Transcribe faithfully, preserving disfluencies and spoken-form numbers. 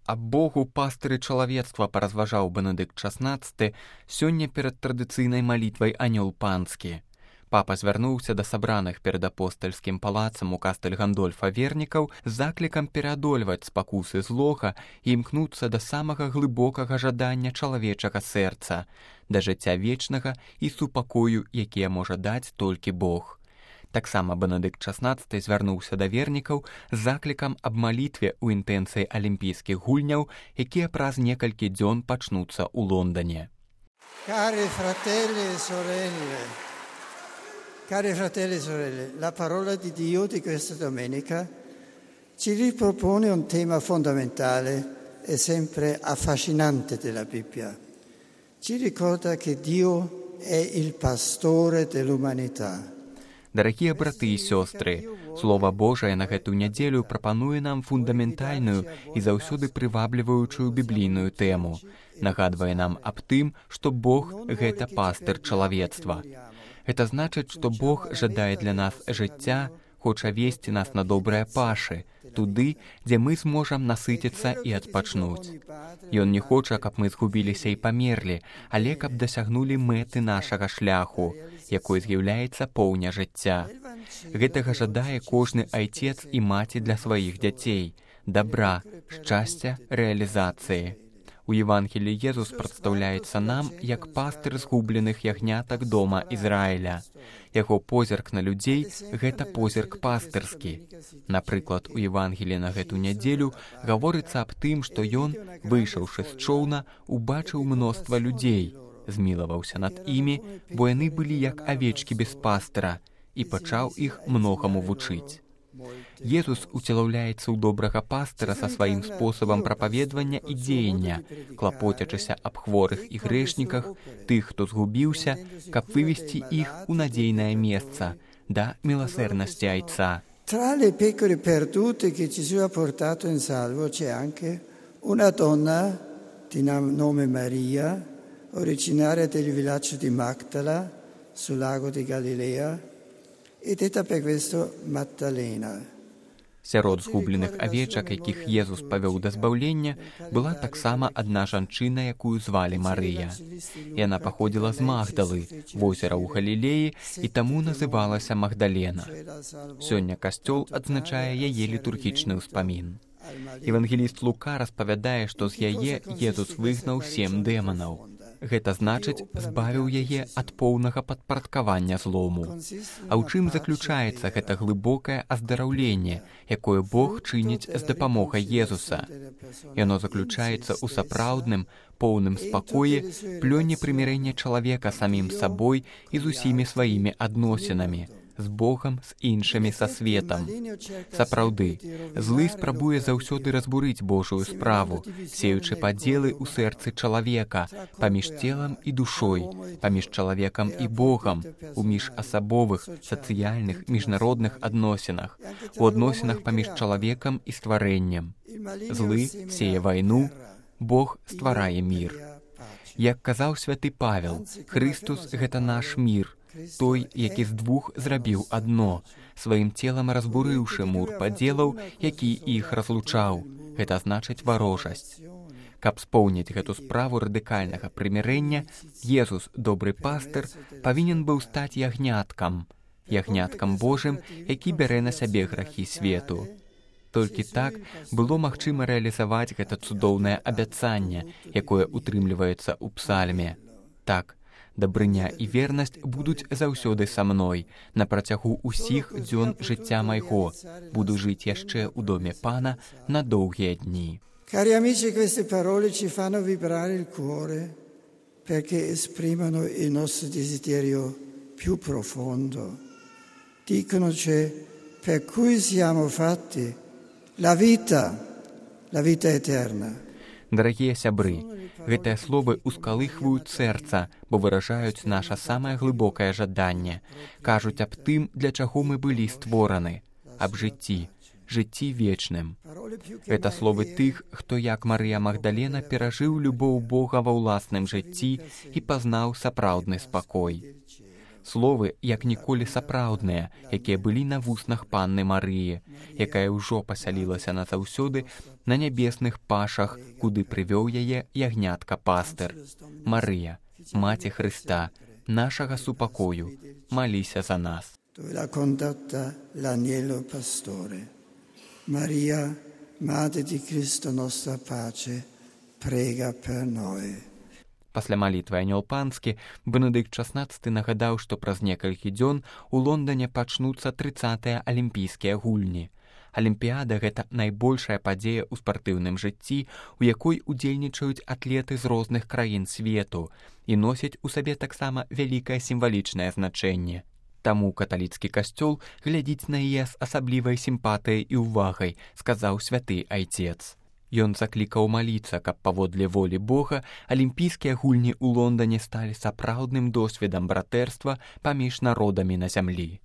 Аб Богу пастыры чалавецтва паразважаў Бенедыкт шаснаццаты сёння перад традыцыйнай малітвай анёл панскі. Папа звярнуўся да сабраных перад апостальскім палацам у кастэль Гандольфа вернікаў з заклікам пераадольваць спакусы злога і імкнуцца да самага глыбокага жадання чалавечага сэрца, да жыцця вечнага і супакою, якія можа даць толькі Бог. Таксама Бенедыкт шаснаццаты звярнуўся да вернікаў з заклікам аб малітве ў інтэнцыі алімпійскіх гульняў, якія праз некалькі дзён пачнуцца ў Лондоне. Cari fratelli e sorelle, cari fratelli e sorelle, la parola di Dio di questa domenica ci ripropone un tema fondamentale e sempre affascinante della Bibbia. Ci ricorda che Dio è il pastore dell'umanità. Дарагія браты і сёстры, Слова Божае на гэту нядзелю прапануе нам фундаментальную і заўсёды прывабліваючую біблійную тэму. Нагадвае нам аб тым, што Бог – гэта пастыр чалавецтва. Гэта значыць, што Бог жадае для нас жыцця, хоча весці нас на добрыя пашы, туды, дзе мы зможам насыціцца і адпачнуць. Ён не хоча, каб мы згубіліся і памерлі, але каб дасягнулі мэты нашага шляху, якой з'яўляецца поўня жыцця. Гэтага жадае кожны айцец і маці для сваіх дзяцей, дабра, шчасця, рэалізацыі. У Евангеліі Езус прадстаўляецца нам як пастыр згубленых ягнятак дома Ізраіля. Яго позірк на людзей – гэта позірк пастырскі. Напрыклад, у Евангеліі на гэту нядзелю гаворыцца аб тым, што ён, выйшаўшы з чоўна, убачыў мноства людзей, змілаваўся над імі, бо яны былі як авечкі без пастыра, і пачаў іх многаму вучыць. Езус уцелаўляецца ў добрага пастыра са сваім спосабам прапаведвання і дзеяння, клапоцячыся аб хворых і грэшніках, тых, хто згубіўся, каб вывесці іх у надзейнае месца, да милосердности айца. Tra le pecore perdute che Gesù ha portato in salvo c'è anche una donna di nome Maria, originaria del villaggio di Magdala, sul lago di Galilea, e detta per questo Maddalena. Сярод згубленых авечак, якіх Езус павёў да збаўлення, была таксама адна жанчына, якую звалі Марыя. Яна паходзіла з Магдалы, возера ў Галілеі, і таму называлася Магдалена. Сёння касцёл адзначае яе літургічны ўспамін. Евангеліст Лука распавядае, што з яе Езус выгнаў сем дэманаў. Гэта значыць, збавіў яе ад поўнага падпарадкавання злому. А ў чым заключаецца гэта глыбокае аздараўленне, якое Бог чыніць з дапамогай Езуса? Яно заключаецца ў сапраўдным, поўным спакоі, плёне прымірэння чалавека самім сабой і з усімі сваімі адносінамі, з Богам, з іншымі, са светам. Сапраўды, злы спрабуе заўсёды разбурыць Божую справу, сеючы падзелы ў сэрцы чалавека, паміж целам і душой, паміж чалавекам і Богам, у міжасабовых, сацыяльных, міжнародных адносінах, у адносінах паміж чалавекам і стварэннем. Злы сее вайну, Бог стварае мір. Як казаў святы Павел, Христус – гэта наш мір, той, які з двух зрабіў адно, сваім целам разбурыўшы мур падзелаў, які іх разлучаў, гэта значыць варожасць. Каб споўніць гэту справу радыкальнага прымірэння, Езус, добры пастыр, павінен быў стаць ягняткам, ягняткам Божым, які бярэ на сябе грахі свету. Толькі так было магчыма рэалізаваць гэта цудоўнае абяцанне, якое утрымліваецца ў псальме. Так, дабрыня і вернасць будуць заўсёды са мной, на працягу ўсіх дзён жыцця майго. Буду жыць яшчэ ў доме Пана на доўгія дні. Cari amici, queste parole ci fanno vibrare il cuore perché esprimono il nostro desiderio più profondo. Diconoci per cui siamo fatti la vita, la vita eterna. Дарагія сябры, гэтыя словы ускалыхваюць сэрца, бо выражаюць наша самае глыбокае жаданне, кажуць аб тым, для чаго мы былі створаны, аб жыцці, жыцці вечным. Гэта словы тых, хто, як Марыя Магдалена, перажыў любоў Бога ва ўласным жыцці і пазнаў сапраўдны спакой. Словы, як ніколі сапраўдныя, якія былі на вуснах панны Марыі, якая ўжо пасялілася назаўсёды на нябесных пашах, куды прывёў яе ягнятка-пастыр. Марыя, Маці Хрыста, нашага супакою, маліся за нас. Dove l'ha condotta l'agnello pastore. Maria, Madre di Cristo nostra pace, prega per noi. Пасля малітвы анёл панскі, Бенедыкт шаснаццаты нагадаў, што праз некалькі дзён у Лондане пачнуцца трыццатыя алімпійскія гульні. Алімпіяда – гэта найбольшая падзея ў спартыўным жыцці, у якой удзельнічаюць атлеты з розных краін свету і носяць у сабе таксама вялікае сімвалічнае значэнне. Таму каталіцкі касцёл глядзіць на яе з асаблівай сімпатыяй і ўвагай, сказаў святы айцец. Ён заклікаў маліцца, каб паводле волі Бога алімпійскія гульні ў Лондане сталі сапраўдным досведам братэрства паміж народамі на зямлі.